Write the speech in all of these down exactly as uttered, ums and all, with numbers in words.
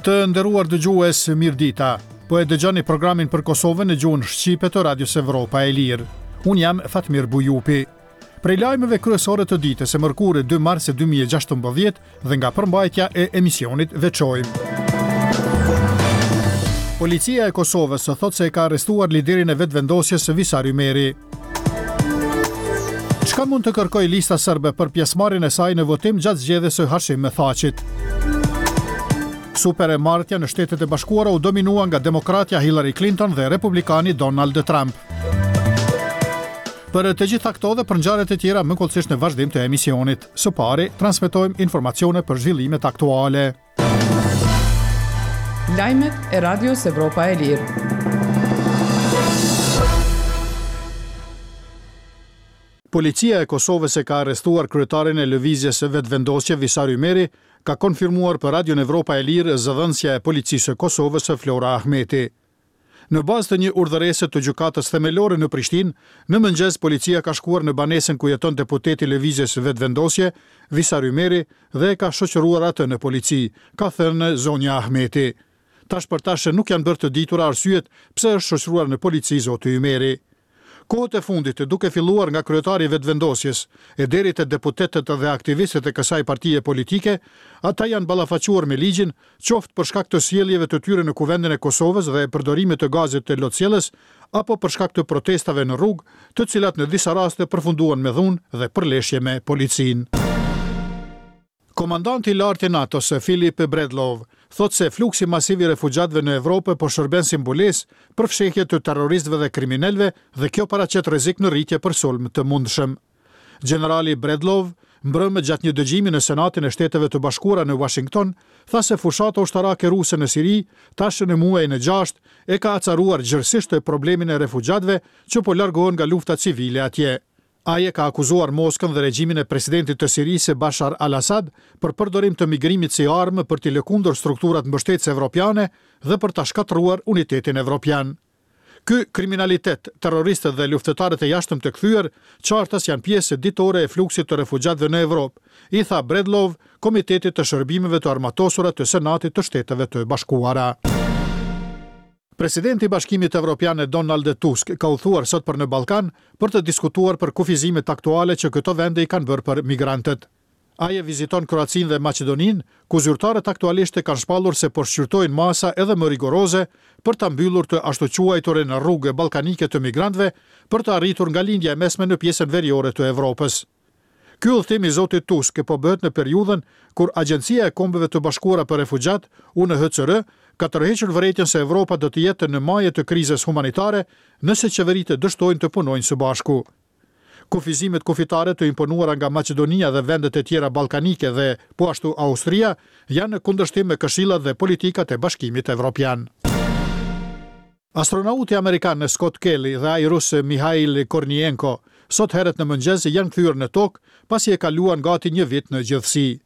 Të nderuar dëgjues, mirëdita. Po e dëgjoni programin për Kosovën në gjuhën shqipe të Radios Evropa e Lirë. Unë jam Fatmir Bujupi. Prej lajmeve kryesore të ditës së mërkurë dy mars dy mijë e gjashtëmbëdhjetë dhe nga përmbajtja e emisionit veçojmë. Policia e Kosovës thotë se e ka arrestuar liderin e Vetëvendosjes Visar Ymeri. Çka mund të kërkojë Lista Serbe për pjesëmarrjen e saj në votim gjatë zgjedhjes së Hashim Thaçit? Super e martja në Shtetet e Bashkuara u dominua nga demokratja Hillary Clinton dhe republikani Donald Trump. Për të gjitha këto dhe për ngjarjet e tjera më hollësisht në vazhdim të emisionit. Së pari, transmetojmë informacione për zhvillimet aktuale. Lajmet e Radios Evropa e Lirë. Policia e Kosovës e ka arrestuar kryetarin e lëvizjes së Vetëvendosje Visar Ymeri, ka konfirmuar për Radion Evropa e Lirë zëdhënësja e Policisë së Kosovës Flora Ahmeti. Në bazë të një urdhërese të Gjykatës Themelore në Prishtinë, në mëngjes policia ka shkuar në banesën ku jeton deputeti i lëvizjes Vetëvendosje, Visar Ymeri, dhe e ka shoqëruar atë në polici, ka thënë zonja Ahmeti. Tash për tash nuk janë bërë të ditura arsyet pse është shoqëruar në polici zoti Ymeri. Kohët e fundit, duke filluar nga kryetari i Vetëvendosjes e deri te deputetët dhe aktivistët e kësaj partie politike, ata janë ballafaquar me ligjin, qoftë për shkak të sjelljeve të tyre në Kuvendin e Kosovës dhe përdorimit të gazit të lotsjellës, apo për shkak të protestave në rrugë, të cilat në disa raste përfunduan me dhunë dhe përleshje me policinë. Komandanti i lartë i NATO-s, Philip Bredlov, thotë se fluksi masiv i refugjatëve në Evropë po shërben si mbulesë për fshehje të terroristëve dhe kriminalëve dhe kjo paraqet rrezik në rritje për sulm të mundshëm. Gjenerali Bredlov, mbrëmë gjatë një dëgjimi në Senatin e Shteteve të Bashkuara në Washington, tha se fushata ushtarake ruse në Siri, tash në muajin e gjashtë, e ka acaruar gjerësisht problemin e refugjatëve që po largohen nga lufta civile atje. Ai e ka akuzuar Moskën dhe regjimin e presidentit të Sirisë Bashar al-Assad për përdorim të migrimit si armë për t'i lëkundur strukturat mbështetëse evropiane dhe për ta shkatërruar unitetin evropian. Ky kriminalitet, terroristët dhe luftëtarët e jashtëm të kthyer, qartas janë pjesë ditore e fluksit të refugjatëve në Evropë, i tha Bredlov, Komitetit të Shërbimeve të Armatosura të Senatit të Shteteve të Bashkuara. Presidenti i Bashkimit Evropian Donald Tusk ka udhëtuar sot për në Ballkan për të diskutuar për kufizimet aktuale që këto vende i kanë bërë për migrantët. Ai e viziton Kroacinë dhe Maqedoninë, ku zyrtarët aktualisht e kanë shpallur se po shqyrtojnë masa edhe më rigoroze për ta mbyllur të ashtuquajturën rrugë ballkanike të migrantëve për të arritur nga lindja e mesme në pjesën veriore të Evropës. Ky udhëtim i zotit Tusk po bëhet në periudhën kur Agjencia e Kombeve të Bashkuara për Refugjat, U N H C R, ka tërhequr vërejtjen se Evropa do të jetë në maje të krizës humanitare nëse qeveritë dështojnë të punojnë së bashku. Kufizimet kufitare të imponuara nga Maqedonia dhe vendet e tjera ballkanike dhe po ashtu Austria janë në kundërshtim me këshillat dhe politikat e Bashkimit Evropian. Astronauti amerikan Scott Kelly dhe ai rus Mihail Kornienko sot herët në mëngjes janë kthyer në tokë pasi e kaluan gati një vit në gjithësi.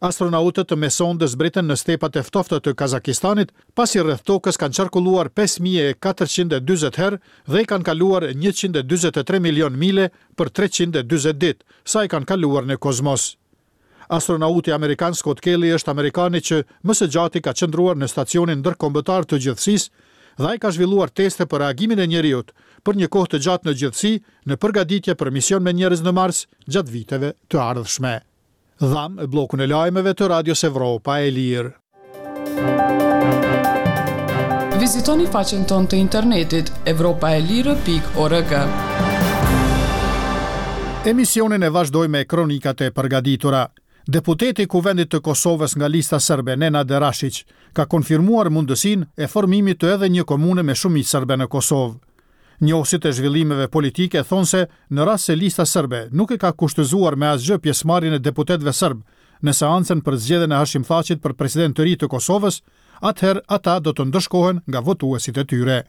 Astronautët me sonde zbritën në stepat e ftohta të Kazakistanit, pasi rreth tokës kanë qarkulluar pesë mijë e katërqind e dyzet herë dhe i kanë kaluar njëqind e dyzet e tre milion mile për treqind e dyzet ditë, sa i kanë kaluar në kozmos. Astronauti amerikan Scott Kelly është amerikani që më së gjati ka qëndruar në stacionin ndërkombëtar të gjithësisë dhe ai ka zhvilluar teste për reagimin e njeriut për një kohë të gjatë në gjithësi në përgatitje për mision me njerëz në Mars gjatë viteve të ardhshme. Dham bllokun e lajmeve të Radios Evropa e Lirë. Vizitoni faqen tonë të internetit evropa e lirë pikë org. Emisionin e vazhdoj me kronikat e përgatitura. Deputeti i Kuvendit të Kosovës nga lista serbe Nenad Rashiq ka konfirmuar mundësinë e formimit të edhe një komune me shumicë serbe në Kosovë. Njohësit e zhvillimeve politike thonë se në rast se lista serbe nuk e ka kushtëzuar me asgjë pjesëmarrjen e deputetëve serb në seancën për zgjedhjen e Hashim Thaçit për president të ri të Kosovës, atëherë ata do të ndëshkohen nga votuesit e tyre.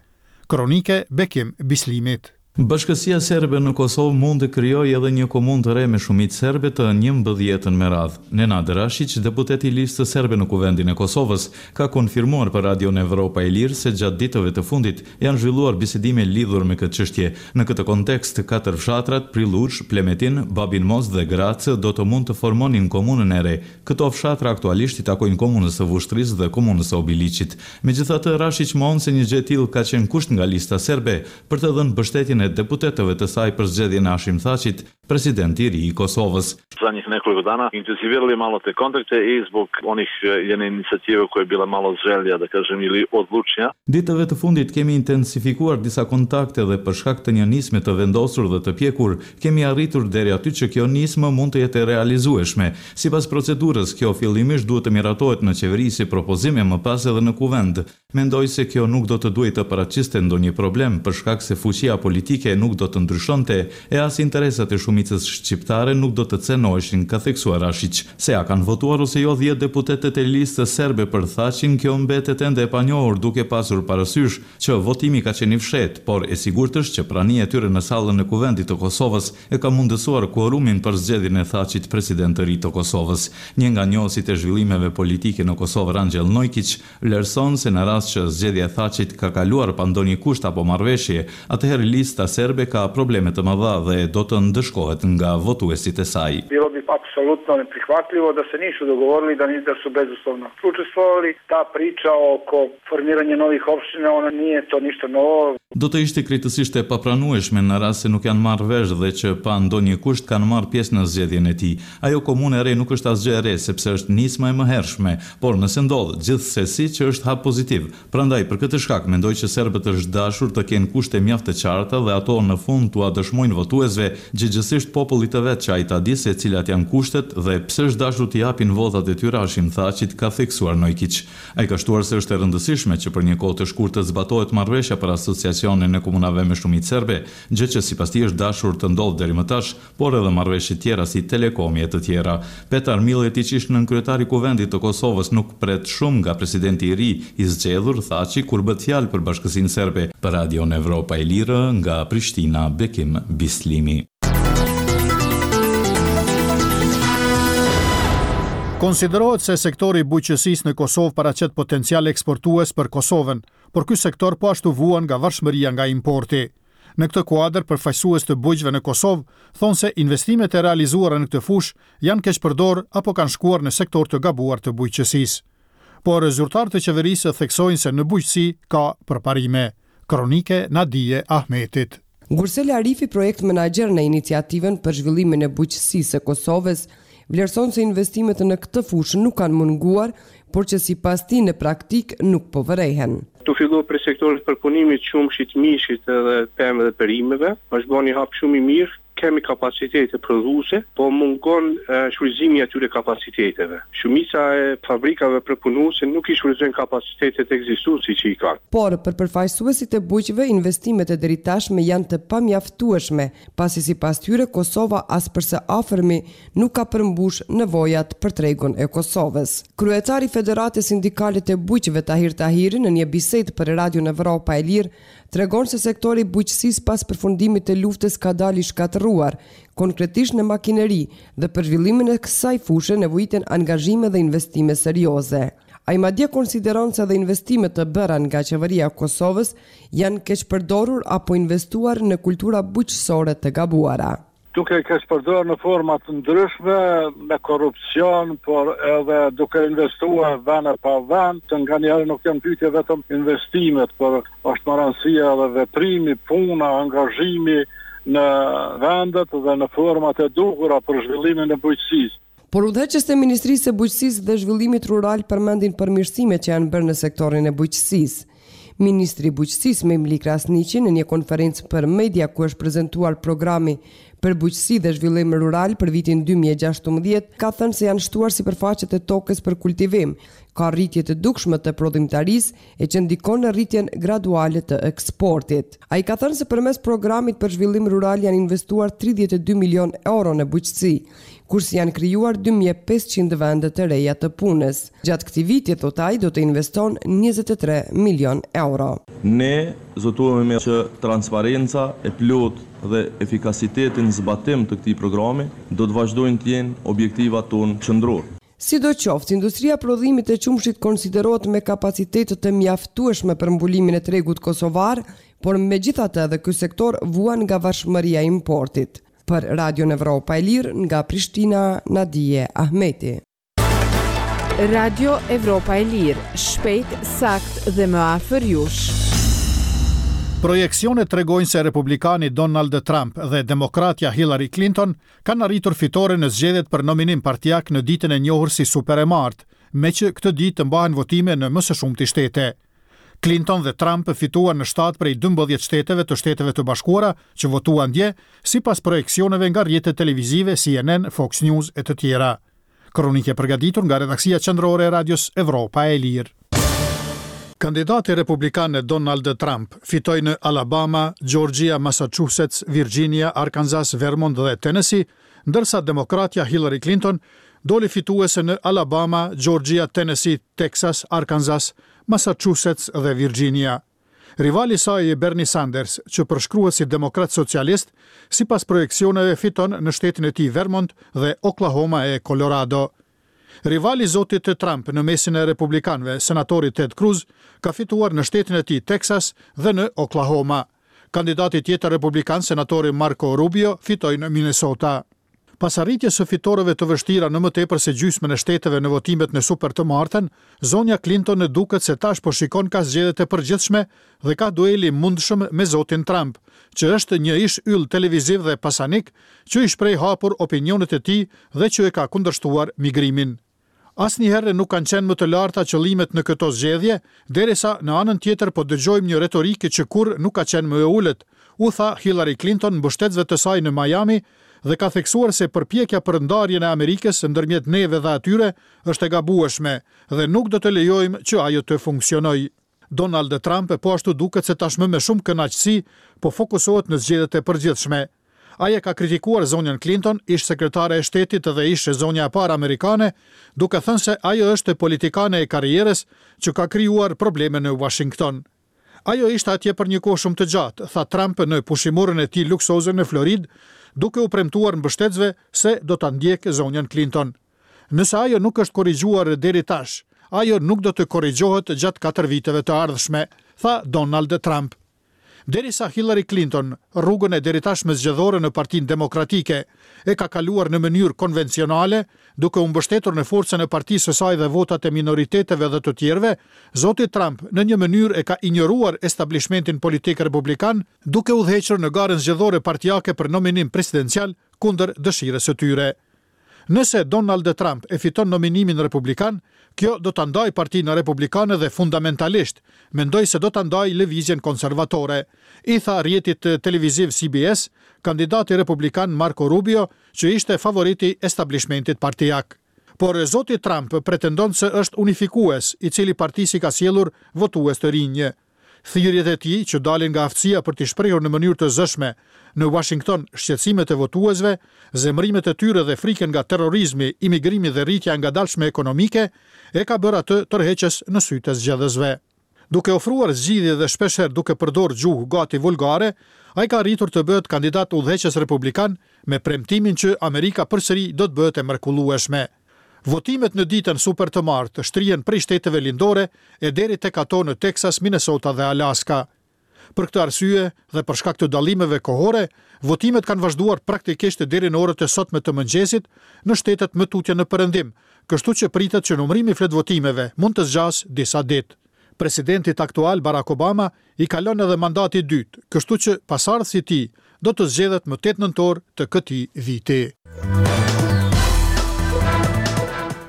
Kronike Bekim Bislimit. Bashkësia serbe në Kosovë mund të krijojë edhe një komunë të re me shumicë serbe të njëmbëdhjetën me radhë. Nenad Rashiq, deputeti i Listës Serbe në Kuvendin e Kosovës, ka konfirmuar për Radion Evropa e Lirë se gjatë ditëve të fundit janë zhvilluar bisedime lidhur me këtë çështje. Në këtë kontekst, katër fshatrat Prillush, Plemetin, Babin Most dhe Gracë do të mund të formonin komunën e re. Këto fshatra aktualisht i takojnë komunës së Vushtrrisë dhe komunës së Obiliqit. Megjithatë, Rashiq mohon se një gjë e tillë ka qenë kusht nga Lista Serbe për të dhënë mbështetjen e deputetëve të saj për zgjedhjen e Hashim Thaçit, president i ri i Kosovës. Zadnjih nekoliko dana intenzivirali malo te kontakte i zbog onih jedne inicijative koja je bila malo želja, da kažem, ili odlučnija. Ditëve të fundit kemi intensifikuar disa kontakte dhe për shkak të një nisme të vendosur dhe të pjekur, kemi arritur deri aty që kjo nismë mund të jetë e realizueshme. Sipas procedurës, kjo fillimisht duhet të miratohet në qeveri si propozim e më pas edhe në kuvend. Mendoj se kjo nuk do të duhej të paraqiste ndonjë problem për shkak se fuqia politike nuk do të ndryshonte e as interesat e shumicës shqiptare nuk do të cenoheshin, ka theksuar Rashiq. Se a kanë votuar ose jo dhjetë deputetët e listës serbe për Thaçin, kjo mbetet ende e panjohur duke pasur parasysh që votimi ka qenë i fshehtë, por e sigurt është që prania e tyre në sallën e Kuvendit të Kosovës e ka mundësuar kuorumin për zgjedhjen e Thaçit president të ri të Kosovës. Një nga njohësit e zhvillimeve politike në Kosovë, Rangjel Nojkiq, vlerëson se në rast që zgjedhja e Thaçit ka kaluar pa ndonjë kusht apo marrëveshje, atëherë lista serbe ka probleme të mëdha dhe do të ndëshkohet nga votuesit e saj. Bilo bi apsolutno neprihvatljivo da se nisu dogovorili, da da su bezuslovno učestvovali. Ta priča oko formiranja novih opština, ona nije to ništa novo. Do të ishte krejtësisht e papranueshme në rast se nuk janë marrë vesh dhe që pa ndonjë kusht kanë marrë pjesë në zgjedhjen e tij. Ajo komunë e re nuk është asgjë e re, sepse është nisma e mëhershme, por nëse ndodh, gjithsesi që është hap pozitiv. Prandaj për këtë shkak mendoj që serbët është dashur të kenë kushte mjaft të qarta dhe ato në fund t'ua dëshmojnë votuesve, gjegjësisht popullit të vet që ai ta di se cilat janë kushtet dhe pse është dashur t'i japin votat e tyre Hashim Thaçit, ka theksuar Nojkiq. Ai ka shtuar se është e rëndësishme që për një kohë të shkurtër zbatohet marrëveshja për asociacionin e komunave me shumicë serbe, gjë që sipas tij është dashur të ndodhë deri më tash, por edhe marrëveshje tjera si Telekomi e të tjera. Petar Milletić, ish nënkryetari i Kuvendit të Kosovës, nuk pret shumë nga presidenti i ri i zgjedhur Thaçi kur bëhet fjalë për bashkësinë serbe. Për Radion Evropa e Lirë nga Prishtina, Bekim Bislimi. Konsiderohet se sektori i bujqësisë në Kosovë paraqet potencial eksportues për Kosovën, por ky sektor po ashtu vuan nga varshmëria nga importi. Në këtë kuadër, përfaqësues të bujqve në Kosovë thonë se investimet e realizuara në këtë fushë janë keqpërdorur apo kanë shkuar në sektor të gabuar të bujqësisë. Por zyrtarët e qeverisë theksojnë se në bujqësi ka përparime. Kronike Nadije Ahmetit. Gursel Arifi, projekt menaxher në iniciativën për zhvillimin e bujqësisë së Kosovës, vlerëson se investimet në këtë fushë nuk kanë munguar, por që sipas tij në praktikë nuk po vërehen. Tu fillu për sektorin përpunimit qumshit, mishit edhe pemëve dhe perimeve, është bërë një hap shumë i mirë, kemi kapacitete prodhuese, po mungon shfrytëzimi i atyre kapaciteteve. Shumica e fabrikave përpunuese nuk i shfrytëzojnë kapacitetet ekzistuese që i kanë. Por për përfaqësuesit e bujqve, investimet e deritashme janë të pamjaftueshme, pasi sipas tyre Kosova as për së afërmi nuk ka përmbush nevojat për tregun e Kosovës. Kryetari i Federatës Sindikale të Bujqve Tahir Tahiri në një bisedë për Radion Evropa e Lirë tregon se sektori i bujqësisë pas përfundimit të luftës ka dalë i shkatërruar, konkretisht në makineri, dhe për zhvillimin e kësaj fushe nevojiten angazhime dhe investime serioze. Ai madje konsideron se dhe investimet të bëra nga qeveria e Kosovës janë keqpërdorur apo investuar në kultura bujqësore të gabuara. Duke keqpërdorur në forma të ndryshme, me korrupsion, por edhe duke investuar vend pa vend, të nganjëherë nuk janë pyetje vetëm investimet, por është më rëndësia edhe veprimi, puna, angazhimi në vendet dhe në format e duhura për zhvillimin e bujqësisë. Por udhëheqësit e Ministrisë së Bujqësisë dhe Zhvillimit Rural përmendin përmirësimet që janë bërë në sektorin e bujqësisë. Ministri i Bujqësisë Memli Krasniqi në një konferencë për media ku është prezentuar programi për Bujqësi dhe Zhvillim Rural për vitin dy mijë e gjashtëmbëdhjetë, ka thënë se janë shtuar sipërfaqet e tokës për kultivim, ka rritje të dukshme të prodhimtarisë e që ndikon në rritjen graduale të eksportit. Ai ka thënë se përmes programit për zhvillim rural janë investuar tridhjetë e dy milion euro në bujqësi, kurse janë krijuar dy mijë e pesëqind vende të reja të punës. Gjatë këtij viti, thot ai, do të investon njëzet e tre milion euro. Ne zotohemi që transparenca e plotë dhe efikasiteti në zbatim të këtij programi do të vazhdojnë të jenë objektivat tonë qendror. Si do qoftë, industria prodhimit të qumshit konsiderohet me kapacitete të mjaftueshme për mbulimin e tregut kosovar, por megjithatë edhe ky sektor vuan nga varshmëria e importit. Për Radion Evropa e Lirë, nga Prishtina, Nadije Ahmeti. Radio Evropa e Lirë, shpejt, sakt dhe më afër jush. Projeksionet tregojnë se republikani Donald Trump dhe demokratja Hillary Clinton kanë arritur fitore në zgjedhjet për nominim partiak në ditën e njohur si Super e Martë, me që këtë ditë të mbahen votime në më së shumti shtete. Clinton dhe Trump fituan në shtatë prej dymbëdhjetë shteteve të Shteteve të Bashkuara që votuan dje, sipas projeksioneve nga rrjetet televizive C N N, Fox News e të tjera. Kronikë e përgatitur nga redaksia qendrore e Radios Evropa e Lirë. Kandidati republikan Donald Trump fitoi në Alabama, Georgia, Massachusetts, Virginia, Arkansas, Vermont dhe Tennessee, ndërsa demokratja Hillary Clinton doli fituese në Alabama, Georgia, Tennessee, Texas, Arkansas, Massachusetts dhe Virginia. Rivali saj Bernie Sanders, që përshkruhet si demokrat socialist, sipas projeksioneve fiton në shtetin e tij Vermont dhe Oklahoma e Colorado. Rivali zotit të Trump në mesin e republikanëve, senatori Ted Cruz, ka fituar në shtetin e tij Texas dhe në Oklahoma. Kandidati tjetër republikan, senatori Marco Rubio, fitoi në Minnesota. Pas arritjes së fitoreve të vështira në më tepër se gjysmën e shteteve në votimet në super të martën, zonja Clinton duket se tash po shikon ka zgjedhjet e përgjithshme dhe ka dueli mundshëm me zotin Trump, që është një ish yll televiziv dhe pasanik që i shpreh hapur opinionet e tij dhe që e ka kundërshtuar migrimin. Asnjëherë nuk kanë qenë më të larta qëllimet në këto zgjedhje, derisa në anën tjetër po dëgjojmë një retorikë që kurrë nuk ka qenë më e ulët, u tha Hillary Clinton mbështetësve të saj në Miami dhe ka theksuar se përpjekja për ndarjen e Amerikës ndërmjet neve dhe atyre është e gabueshme dhe nuk do të lejojmë që ajo të funksionojë. Donald Trump po ashtu duket se tashmë me shumë kënaqësi po fokusohet në zgjedhjet e përgjithshme. Ai e ka kritikuar zonjën Clinton, ish sekretare e shtetit dhe ish zonja e parë amerikane, duke thënë se ajo është politikane e karrierës që ka krijuar probleme në Washington. Ajo ishte atje për një kohë shumë të gjatë, tha Trump në pushimorën e tij luksoze në Florid, duke u premtuar mbështetësve se do ta ndjekë zonjën Clinton. Nëse ajo nuk është korrigjuar deri tash, ajo nuk do të korrigjohet gjatë katër viteve të ardhshme, tha Donald Trump. Derisa Hillary Clinton, rrugën e deritashme zgjedhore në Partinë Demokratike, e ka kaluar në mënyrë konvencionale, duke u mbështetur në forcën e partisë së saj dhe votat e minoriteteve dhe të tjerëve, zoti Trump në një mënyrë e ka injoruar establishmentin politik republikan, duke udhëhequr në garën zgjedhore partiake për nominim presidencial kundër dëshirës së tyre. Nëse Donald Trump e fiton nominimin republikan, kjo do ta ndajë Partinë Republikane dhe fundamentalisht mendoj se do ta ndajë lëvizjen konservatore, i tha rrjetit televiziv C B S kandidati republikan Marco Rubio, që ishte favoriti i establishmentit partiak. Por zoti Trump pretendon se është unifikues, i cili partisë i ka sjellur votues të rinj. Thirrjet e tij që dalin nga aftësia për të shprehur në mënyrë të zëshme në Washington shqetësimet e votuesve, zemërimet e tyre dhe frikën nga terrorizmi, imigrimi dhe rritja e ngadalshme ekonomike, e ka bërë atë tërheqës në sytë e zgjedhësve. Duke ofruar zgjidhje dhe shpeshherë duke përdorur gjuhë gati vulgare, ai ka arritur të bëhet kandidat udhëheqës republikan me premtimin që Amerika përsëri do të bëhet e mrekullueshme. Votimet në ditën super të martë shtrihen prej shteteve lindore e deri tek ato në Texas, Minnesota dhe Alaska. Për këtë arsye dhe për shkak të dallimeve kohore, votimet kanë vazhduar praktikisht deri në orët e sotme të mëngjesit në shtetet më tutje në perëndim, kështu që pritet që numërimi i fletvotimeve mund të zgjasë disa ditë. Presidentit aktual Barack Obama i kalon edhe mandati i dytë, kështu që pasardhësi i tij do të zgjedhet më tetë nëntor të këtij viti.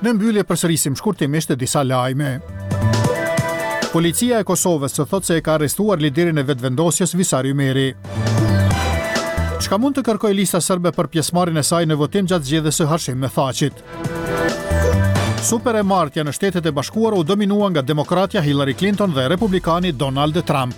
Në mbyllje përsërisim shkurtimisht disa lajme. Policia e Kosovës thotë se e ka arrestuar liderin e Vetëvendosjes Visar Ymeri. Çka mund të kërkojë Lista Serbe për pjesëmarrjen e saj në votim gjatë zgjedhjes së Hashim Thaçit? Super e martja në Shtetet e Bashkuara u dominua nga demokratja Hillary Clinton dhe republikani Donald Trump.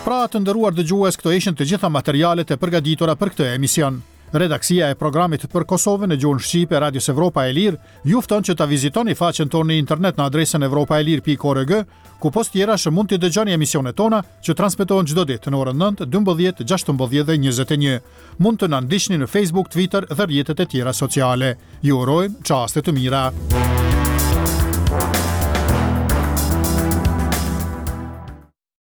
Pra, të nderuar dëgjues, këto ishin të gjitha materialet e përgatitura për këtë emision. Redaksia e programit për Kosovën në gjuhën shqipe Radios Evropa e Lirë ju fton që ta vizitoni faqen tonë në internet në adresën evropaelire pikë org, ku pos tjerash mund t'i dëgjoni emisionet tona që transmetohen çdo ditë në orën nëntë, dymbëdhjetë, gjashtëmbëdhjetë dhe njëzet e një. Mund të na ndiqni në Facebook, Twitter dhe rrjetet e tjera sociale. Ju urojmë çaste të mira.